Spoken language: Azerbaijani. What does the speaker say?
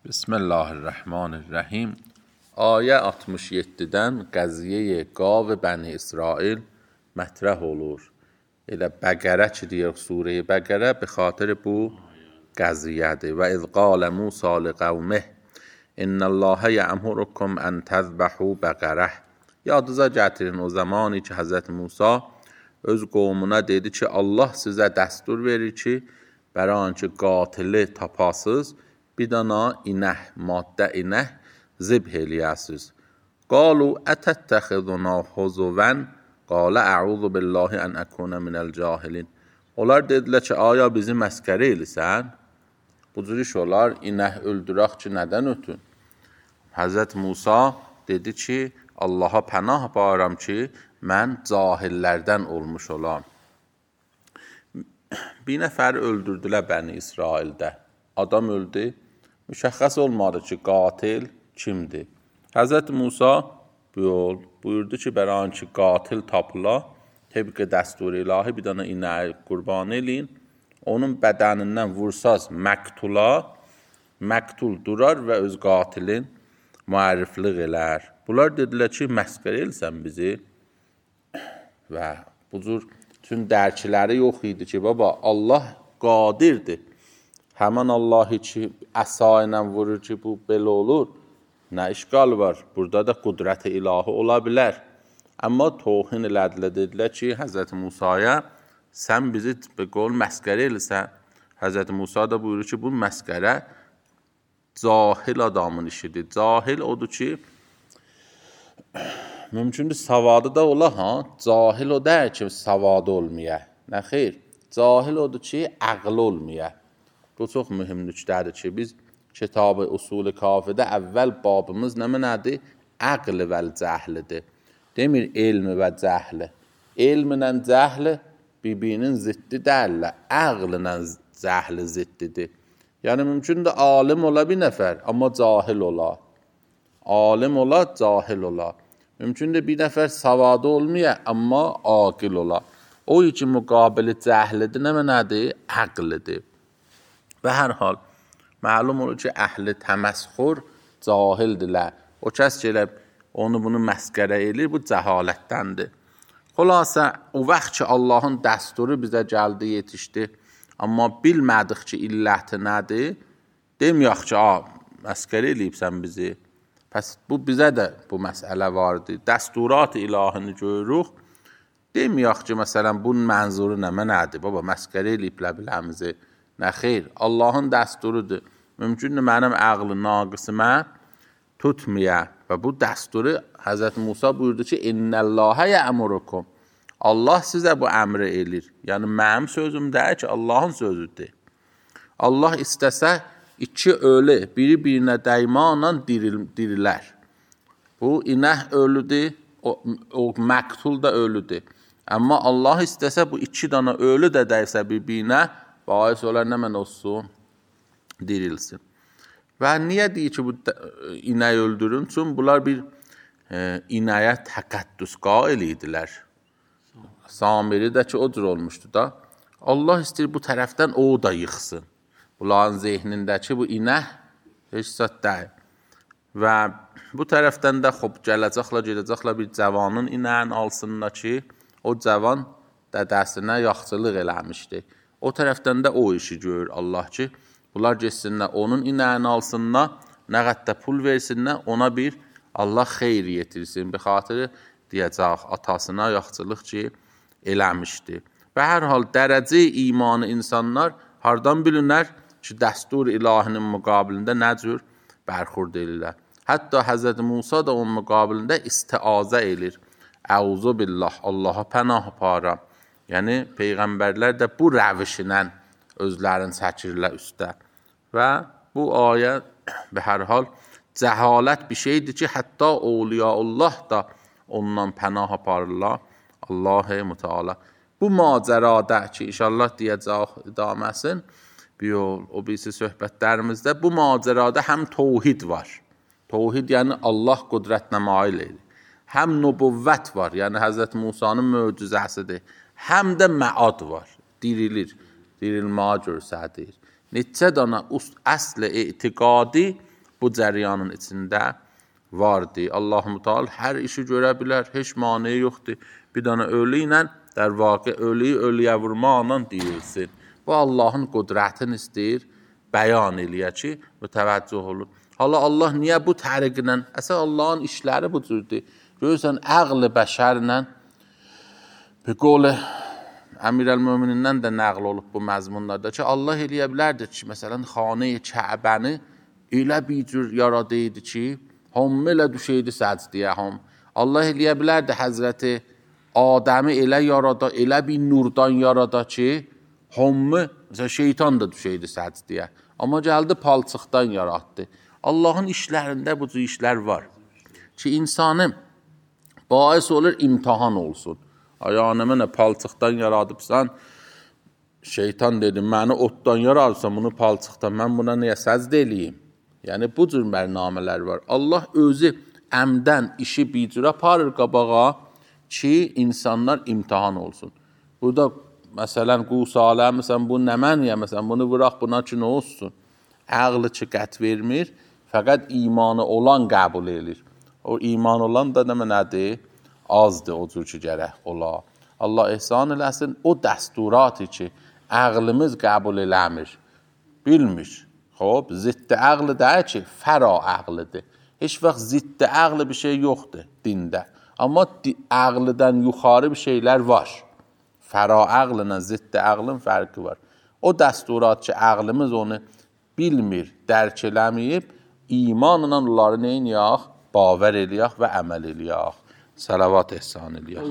Bismillahirrahmanirrahim. Ayə 67-dən qəziyyə qav Bəni İsrail mətrəh olur. Elə Bəqərə ki deyək, surə-i Bəqərə bi xatir bu qəziyyədir. Və iz qalə Musa liqavmih İnnəlləhə yə'murukum ən təzbəhu bəqərəh. Yadınıza gətirin o zamanı ki Həzrət Musa öz qovmuna dedi ki Allah sizə dəstur verir ki bəranki qatili tapasız bir dana inək, maddə inək zibh eləyəsiz. Qalu ətəttəxiduna huzuvən qalə əuzu billahi ən əkunə minəl cahilin. Onlar dedilər ki, aya bizi məskərə eləsən? Bu cür iş olar, inək öldürək ki, nədən ötün? Həzrət Musa dedi ki, Allaha pənah bağıram ki, mən cahillərdən olmuş olam. Bir nəfər öldürdülər Bəni İsraildə. Adam öldü. Müşəxəs olmadı ki, qatil kimdir? Həzrət Musa buyurdu ki, bəranki qatil tapıla, təbii dəstur ilahi bir dana inəyi qurban eləyin, onun bədənindən vursaz məqtul durar və öz qatilin müərriflik elər. Bunlar dedilər ki, məskər elsən bizi və bu cür tüm dərkiləri yox idi ki, baba, Allah qadirdir. Həmən Allahı ki, əsa ilə vurur ki, bu belə olur, nə işqal var? Burada da qudrət-i ilahi ola bilər. Amma toxin elədilər, dedilər ki, Həzrət Musaya, sən bizi bir qol məskərə eləsən. Həzrət Musa da buyurur ki, bu məskərə cahil adamın işidir. Cahil odur ki, mümkündür savadı da ola, cahil o deyir ki, savadı olmaya. Nə xeyr? Cahil odur ki, əql olmaya. Bu çox mühüm nüqtədir ki, biz kitab-ı usul-i kafidə əvvəl babımız nədir? Əql vəl cəhlidir. Demir elmi və cəhli. Elminlə cəhli bir-birinin ziddi deyirlər. Əqllə cəhli ziddidir. Yəni, mümkündür alim ola bir nəfər, amma cahil ola. Alim ola, cahil ola. Mümkündür bir nəfər savadı olmaya, amma aqil ola. O ki, müqabili cəhlidir, nədir? Əqlidir. Və hər hal, məlum olur ki, əhli təməsxur cahildirlər. O kəs ki, onu bunu məskərə edir, bu cəhalətdəndir. Xülasə, o vaxt ki, Allahın dəsturu bizə gəldi, yetişdi, amma bilmədik ki, illəti nədir, deməyək ki, məskərə eləyibsən bizi. Pəs bu bizə də bu məsələ vardır. Dəsturat-ı ilahini görürük, deməyək ki, məsələn, bunun mənzuru nədir? Baba, məskərə eləyiblər biləmizi. Nə xeyr, Allahın dəsturudur. Mümkündür mənim əqli naqısımə tutmaya və bu dəsturu Həzrət Musa buyurdu ki, İnnəlləhə yə'murukum. Allah sizə bu əmri eləyir. Yəni, mənim sözüm deyir ki, Allahın sözüdür. Allah istəsə, iki ölü, biri-birinə dəymanla dirilər. Bu, inək ölüdür, o məqtul da ölüdür. Amma Allah istəsə, bu iki dana ölü də dəysə bir-birinə, bahis olar nə mən olsun, dirilsin. Və niyə deyir ki, bu inəyi öldürün? Çünki bunlar bir inəyə təqəddüs qail idilər. Samiri də ki, o cür olmuşdu da. Allah istəyir bu tərəfdən o da yıxsın. Bunların zehnindəki bu inək heç zət deyil. Və bu tərəfdən də gedəcəklər bir cavanın inəyin alsınlar ki, o cavan dədəsinə yaxçılıq eləmişdi. O tərəfdən də o işi görür Allah ki, bunlar geçsinlər, onun inəyini alsınlar, nə qədər pul versinlər, ona bir Allah xeyr yetirsin. Bir xatırı deyəcək, atasına yaxçılıq ki, eləmişdi. Və hər hal dərəcə imanı insanlar hardan bilinər ki, dəstur ilahinin müqabilində nə cür bərxurd edirlər. Hətta Həzrət Musa da onun müqabilində istiazə edir. Əuzu billah, Allaha pənah aparam. Yəni, Peyğəmbərlər də bu rəvişlə özlərini çəkirlər üstə. Və bu ayə və hər hal cəhalət bir şeydir ki, hətta Awliyaullah da ondan pənah aparırlar. Allah-u Müteala. Bu macərada ki, inşallah deyəcək idaməsin, o birisi söhbətlərimizdə, bu macərada həm tövhid var. Tövhid yəni Allah qudrətinə mail edir. Həm nübüvvət var, yəni Həzrət Musanın möcüzəsidir. Həm də məad var, dirilir, dirilməyə görsədir. Neçə dana əsl etiqadi bu cəryanın içində vardır. Allah-u Teala hər işi görə bilər, heç maneə yoxdur. Bir dənə ölü ilə در واقع ölüyə vurmaqla deyilsin. Bu Allahın qudrətini istəyir, bəyan eləyə ki, mütəvəccüh olur. Hala Allah niyə bu təriqlə? Əsas Allahın işləri bu cürdür. Görürsən, əql-i bəşərlə, bir qol Əmirəl-Möminindən də nəql olub bu məzmunlarda ki, Allah eləyə bilərdir ki, məsələn, xanə-i Kəbəni elə bir cür yaradıydı ki, hamı elə düşəydi səcdiyə ham. Allah eləyə bilərdi Həzrəti Adəmi elə yarada, elə bir nurdan yarada ki, hamı, məsələn, şeytan da düşəydi səcdiyə. Amma gəldi palçıqdan yaratdı. Allahın işlərində bu cür işlər var ki, insanı bais olur, imtihan olsun. Yəni, mənə palçıqdan yaradıbsan, şeytan dedi, məni otdan yaradıbsan, bunu palçıqdan, mən buna niyə səcd eləyim? Yəni, bu cür mərnamələr var. Allah özü əmdən işi bir cür aparır qabağa ki, insanlar imtihan olsun. Burada, məsələn, Qusalə, məsələn, bu nə məniyə, məsələn, bunu vıraq, buna ki, nə olsun? Əqlı ki, qət vermir, fəqət imanı olan qəbul edir. O iman olan da nədir? Azdır o cür ki, gərək ola. Allah ehsan eləsin, o dəsturatı ki, əqlimiz qəbul eləmir, bilmir. Xob, ziddi əqli deyir ki, fəra əqlidir. Heç vaxt ziddi əqli bir şey yoxdur dində. Amma əqlidən yuxarı bir şeylər var. Fəra əqlinə ziddi əqlin fərqi var. O dəsturat ki, əqlimiz onu bilmir, dərk eləməyib, imanla onları neyin yaq? Bavər eləyək və əməl eləyək. Salavat ehsan eləyək.